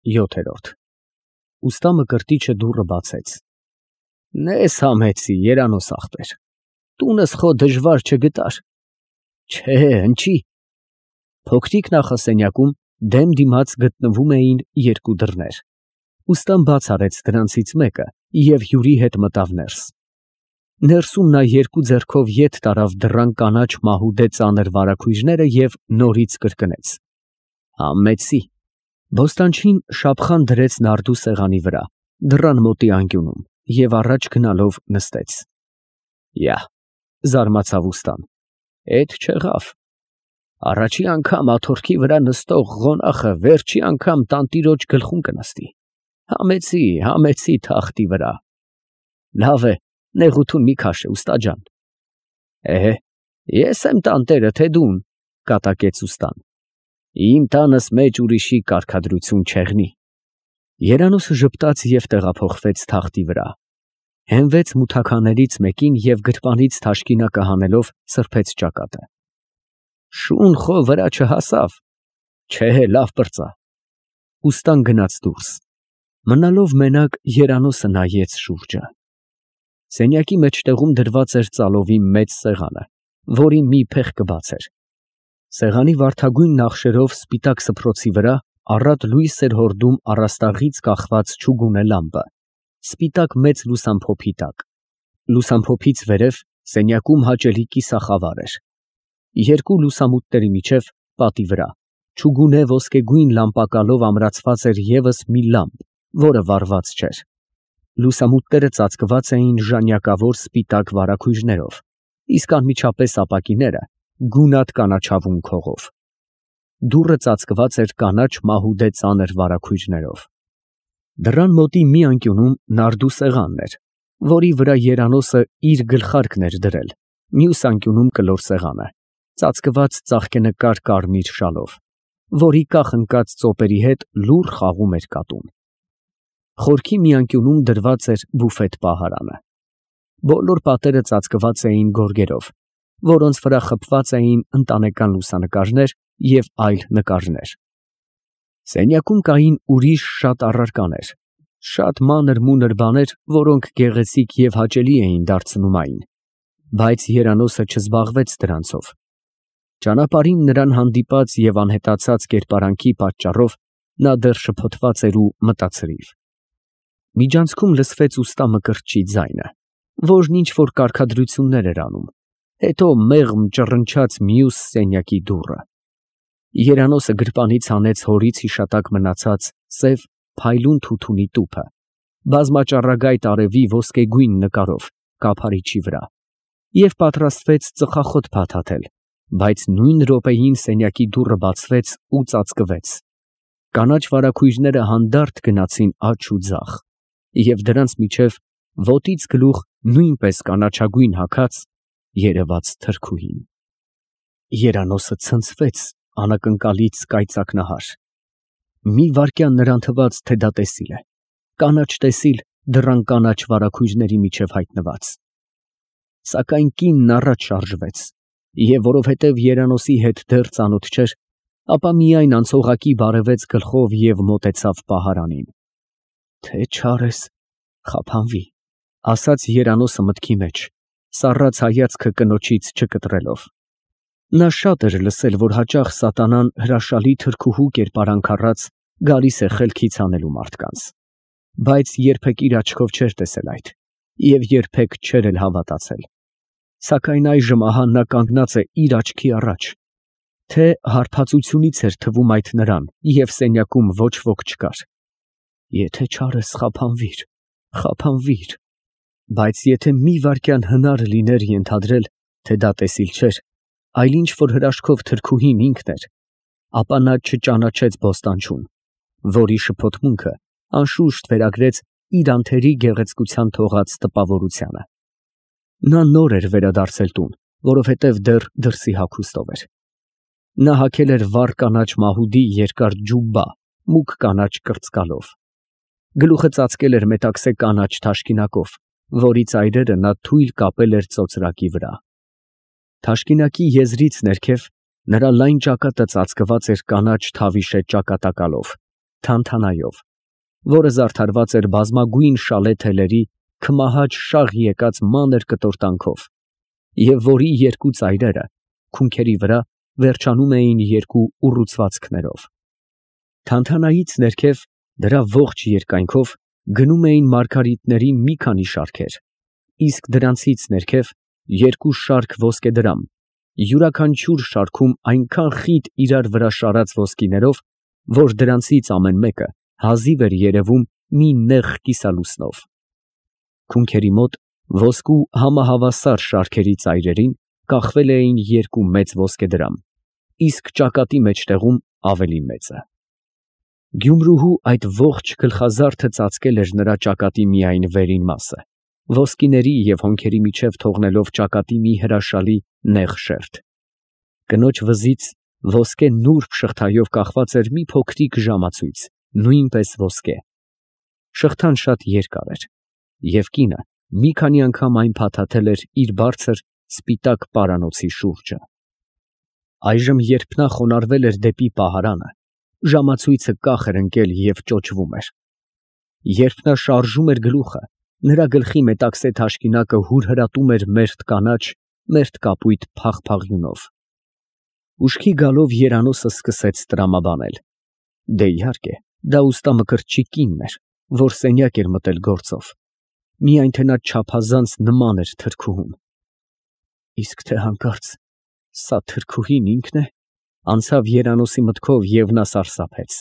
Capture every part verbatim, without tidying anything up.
յոթ Ուստա Մկրտիչը դուռը բացեց։ Նես համեցի, Երանուս ախպեր, տունս խո դժվար չգտար։ Չէ, ընչի։ Փոքրիկ նախասենյակում դեմ դիմաց գտնվում էին երկու դռներ։ Ուստան բաց արեց դրանցից մեկը և հյուրի հետ մտավ ներս։ Ներսում նա երկու ձեռքով ետ տարավ դռան կանաչ մահուդե ծանր վարագույրները և նորից կրկնեց. Համեցի։ Բոստանչին շափխան դրեց նարդու սեղանի վրա, դռան մոտի անկյունում, և առաջ գնալով նստեց։ Յա, զարմացավ ուստան, էդ չեղավ։ Առաջի անգամ աթոռքի վրա նստող ղոնախը վերջի անգամ տանտիրոջ գլխում կնստի։ Համեցի, համեցի թախտի վրա։ Լավ է, նեղություն մի քաշե, ուստա ջան։ Էհե, ես եմ տանտերը, թե դուն, կատակեց ուստան։ Իմ տանս մեջ ուրիշի կարգադրություն չեղնի։ Երանուսը ժպտաց և տեղափոխվեց թախտի վրա։ Հենվեց մութաքաներից մեկին և գրպանից թաշկինակը հանելով սրբեց ճակատը։ Շուն խո վրա չհասավ։ Չէ, լավ պրծա։ Ուստան գնաց դուրս։ Մնալով մենակ Երանուսը նայեց շուրջը։ Սենյակի մեջտեղում դրված էր ծալովի մեծ սեղանը, որի մի փեղկը բաց էր։ Սեղանի վարդագույն նախշերով սպիտակ սփռոցի վրա առատ լույս էր հորդում առաստաղից կախված չուգունե լամպը, սպիտակ մեծ լուսամփոփի տակ։ Լուսամփոփից վերև սենյակում հաճելի կիսախավար էր։ Երկու լուսամուտների միջև, պատի վրա, չուգունե ոսկեգույն լամպակալով ամրացված էր ևս մի լամպ, որը վառված չէր։ Լուսամուտները ծածկված էին ժանյակավոր սպիտակ վարագույրներով, իսկ անմիջապես ապակիները գունատ կանաչավուն քողով։ Դուռը ծածկված էր կանաչ մահուդե ծանր վարագույրներով։ Դռան մոտի մի անկյունում նարդու սեղանն էր, որի վրա Երանոսը իր գլխարկն էր դրել, մյուս անկյունում կլոր սեղանը, ծածկված ծաղկենկար կարմիր շալով, որի կախ ընկած ծոպերի հետ լուռ խաղում էր կատուն։ Խորքի մի անկյունում դրված էր բուֆետ պահարանը։ Բոլոր պատերը ծածկված էին գորգերով, որոնց վրա խփված էին ընտանեկան լուսանկարներ և այլ նկարներ։ Սենյակում կային ուրիշ շատ առարկաներ, շատ մանր-մունր բաներ, որոնք գեղեցիկ և հաճելի էին դարձնում այն, բայց Երանոսը չզբաղվեց դրանցով։ Ճանապարհին նրան հանդիպած և անհետացած կերպարանքի պատճառով նա դեռ շփոթված էր ու մտածրիվ։ Միջանցքում լսվեց ուստա Մկրտչի ձայնը, որն ինչ֊որ կարգադրություններ էր անում, հետո մեղմ ճռնչաց մյուս սենյակի դուռը։ Երանոսը գրպանից հանեց հորից հիշատակ մնացած սև փայլուն թութունի տուփը, բազմաճառագայթ արևի ոսկեգույն նկարով կափարիչի վրա, և պատրաստվեց ծխախոտ փաթաթել, բայց նույն րոպեին սենյակի դուռը բացվեց ու ծածկվեց։ Կանաչ վարագույրները հանդարտ գնացին աջ ու ձախ, և դրանց միջև ոտից գլուխ նույնպես կանաչագույն հագած երևաց թրքուհին։ Երանոսը ցնցվեց անակնկալից կայծակնահար։ Մի վայրկյան նրան թվաց, թե դա տեսիլ է, կանաչ տեսիլ դռան կանաչ վարագույրների միջև հայտնված։ Սակայն կինն առաջ շարժվեց, և որովհետև Երանոսի հետ դեռ ծանոթ չէր, ապա միայն անցողակի բարևեց գլխով և մոտեցավ պահարանին։ Թե չարես, խափանվի, ասաց Երանոսը մտքի մեջ, սառած հայացքը կնոջից չկտրելով։ Նա շատ էր լսել, որ հաճախ սատանան հրաշալի թրքուհու կերպարանք առած գալիս է խելքից հանելու մարդկանց, բայց երբեք իր աչքով չէր տեսել այդ և երբեք չէր էլ հավատացել։ Սակայն այժմ ահա նա կանգնած է իր աչքի առաջ, թե հարբածությունից էր թվում այդ նրան, և սենյակում ոչ ոք չկար։ Եթե չարես, խափանվիր, խափանվիր, բայց եթե մի վայրկյան հնար լիներ ենթադրել, թե դա տեսիլ չէր, այլ ինչ-որ հրաշքով թրքուհին ինքն էր, ապա նա չճանաչեց Բոստանչուն, որի շփոթմունքը անշուշտ վերագրեց իր անթերի գեղեցկության թողած տպավորությանը։ Նա նոր էր վերադարձել տուն, որովհետև դեռ դրսի հագուստով էր։ Նա հագել էր վառ կանաչ մահուդի երկար ջուբբա մուգ կանաչ կրծկալով։ Գլուխը ծածկել էր մետաքսե կանաչ թաշկինակով, որի ծայրերը նա թույլ կապել էր ծոծրակի վրա։ Թաշկինակի եզրից ներքև նրա լայն ճակատը ծածկված էր կանաչ թավիշե ճակատակալով, Թանթանայով, որը զարդարված էր բազմագույն շալե թելերի քմահաճ շաղ եկած մանր կտորտանքով, և որի երկու ծայրերը քունքերի վրա վերջանում էին երկու ուռուցվածքներով։ Թանթանայից ներքև դրա ողջ երկայնքով գնում էին մարգարիտների մի քանի շարքեր, իսկ դրանցից ներքև երկու շարք ոսկեդրամ, յուրաքանչյուր շարքում այնքան խիտ իրար վրա շարած ոսկիներով, որ դրանցից ամեն մեկը հազիվ էր երևում մի նեղ կիսալուսնով։ Քունքերի մոտ ոսկու համահավասար շարքերի ծայրերին կախվել էին երկու մեծ ոսկեդրամ, իսկ ճակատի մեջտեղում ավելի մեծը։ Գյումրուհու այդ ողջ գլխազարդը ծածկել էր նրա ճակատի միայն վերին մասը, ոսկիների և հոնքերի միջև թողնելով ճակատի մի հրաշալի նեղ շերտ։ Կնոջ վզից ոսկե նուրբ շղթայով կախված էր մի փոքրիկ ժամացույց, նույնպես ոսկե։ Շղթան շատ երկար էր, և կինը մի քանի անգամ այն փաթաթել էր իր բարձր, սպիտակ պարանոցի շուրջը։ Այժմ, երբ նա խոնարհվել էր դեպի պահարանը, ժամացույցը կախ էր ընկել և ճոճվում էր։ Երբ նա շարժում էր գլուխը, նրա գլխի մետաքսե թաշկինակը հուրհրատում էր մերթ կանաչ, մերթ կապույտ փաղփաղյունով։ Ուշքի գալով երանոցը սկսեց տրամաբանել. դե իհարկե, դա ուստա Մկրտչի կինն էր, որ սենյակ էր մտել գործով, միայն թե նա չափազանց նման էր թրքուհուն։ Իսկ թե հանկարծ սա թրքուհին ինքն է, անցավ երանոցի մտքով և նա սարսափեց։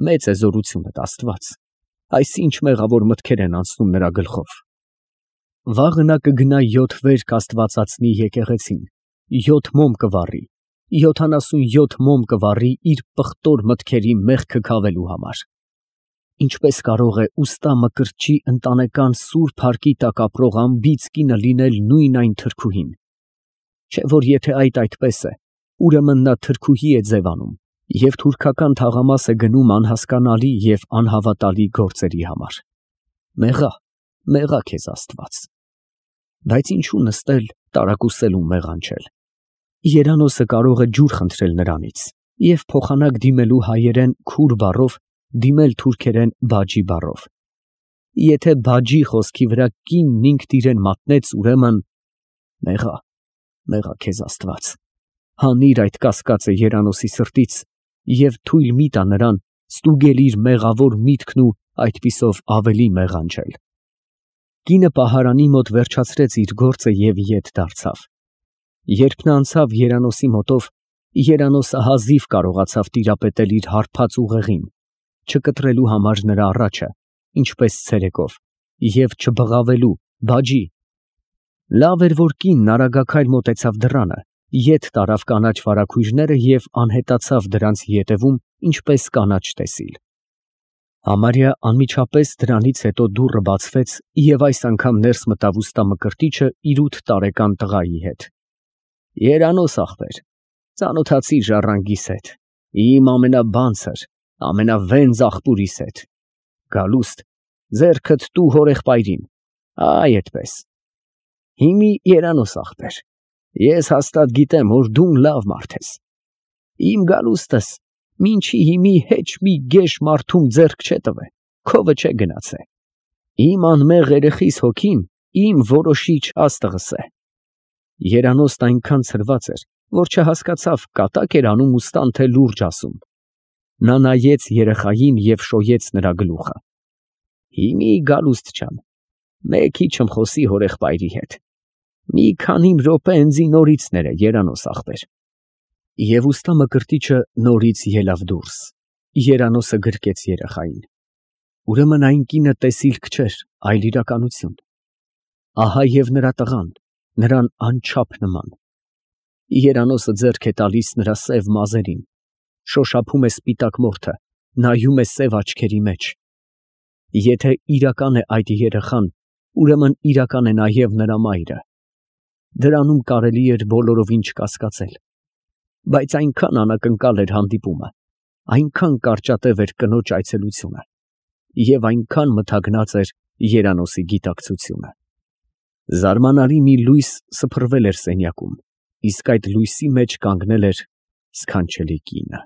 Մեծ է զորությունդ, Աստված, այս ինչ մեղավոր մտքեր են անցնում նրա գլխով։ Վաղը նա կգնա յոթ վերք աստվածածնի եկեղեցին, յոթ մոմ կվառի, յոթանասունյոթ մոմ կվառի իր պղտոր մտքերի մեղքը քավելու համար։ Ինչպես կարող է ուստա Մկրտչի ընտանեկան սուրբ հարկի տակ ապրող անբիծ կինը լինել նույն այն թրքուհին։ Չէ՞ որ եթե այդ այդպես է, ուրեմն նա թրքուհի է ձևանում և թուրքական թաղամաս է գնում անհասկանալի և անհավատալի գործերի համար։ Մեղա, մեղա քեզ Աստված։ Բայց ինչու նստել տարակուսել ու մեղանչել։ Երանոցը կարող է ջուր խնդրել նրանից և փոխանակ դիմելու հայերեն քուր բառով դիմել թուրքերեն բաջի բառով։ Եթե բաջի խոսքի վրա կինն ինքն իրեն մատնեց, ուրեմն… Մեղա, մեղա քեզ Աստված, հանիր այդ կասկածը երանոցի սրտից և թույլ մի տա նրան ստուգել իր մեղավոր միտքն ու այդպիսով ավելի մեղանչել։ Կինը պահարանի մոտ վերջացրեց իր գործը և ետ դարձավ։ Երբ նա անցավ երանոցի մոտով, երանոցը հազիվ կարողացավ տիրապետել իր հարբած ուղեղին, չկտրելու համար նրա առաջը, ինչպես ցերեկով, և չբղավելու. բաջի։ Լավ էր, որ կինն արագաքայլ մոտեցավ դռանը, ետ տարավ կանաչ վարագույրները և անհետացավ դրանց ետևում, ինչպես կանաչ տեսիլ։ Համարյա անմիջապես դրանից հետո դուռը բացվեց, և այս անգամ ներս մտավ ուստա Մկրտիչը իր ութ տարեկան տղայի հետ։ Երանոց, ախպեր, ծանոթացի ժառանգիս հետ, իմ ամենաբանցր, ամենավենձ աղբորիս հետ։ Գալուստ, ձեռքդ տու հորեղբայրին, այ էդպես։ Հիմի Երանոց, ախպեր, ես հաստատ գիտեմ, որ դու լավ մարդ ես։ Իմ գալուստս մինչի հիմի հեչ մի գեշ մարդում ձեռք չէ տվել, քովը չէ գնացել։ Իմ անմեղ երեխիս հոգին իմ որոշիչ աստղս է։ Երանոցն այնքան ցրված էր, որ չհասկացավ կատակ էր անում ուստան, թե լուրջ ասում։ Նա նայեց երեխային և շոյեց նրա գլուխը։ Հիմի Գալուստ ջան, մեկ-իչմ խոսի հորեղբայրի հետ։ Մի քանի րոպե ընձի նորից ներե, Երանոց ախպեր։ Եվ ուստա Մկրտիչը նորից ելավ դուրս։ Երանոցը գրկեց երեխային։ Ուրեմն այն կինը տեսիլք չէր, այլ իրականություն։ Ահա և նրա տղան, նրան անչափ նման։ Երանոցը ձեռք է տալիս նրա սև մազերին, շոշափում է սպիտակ մորթը, նայում է սև աչքերի մեջ։ Եթե իրական է այդ երեխան, ուրեմն իրական է նաև նրա մայրը։ Դրանում կարելի էր բոլորովին չկասկածել։ Բայց այնքան անակնկալ էր հանդիպումը, այնքան կարճատև էր կնոջ այցելությունը, և այնքան մթագնած էր Երանոցի գիտակցությունը։ Զարմանալի մի լույս սփռվել էր սենյակում, իսկ այդ լույսի մեջ կանգնել էր սքանչելի կինը։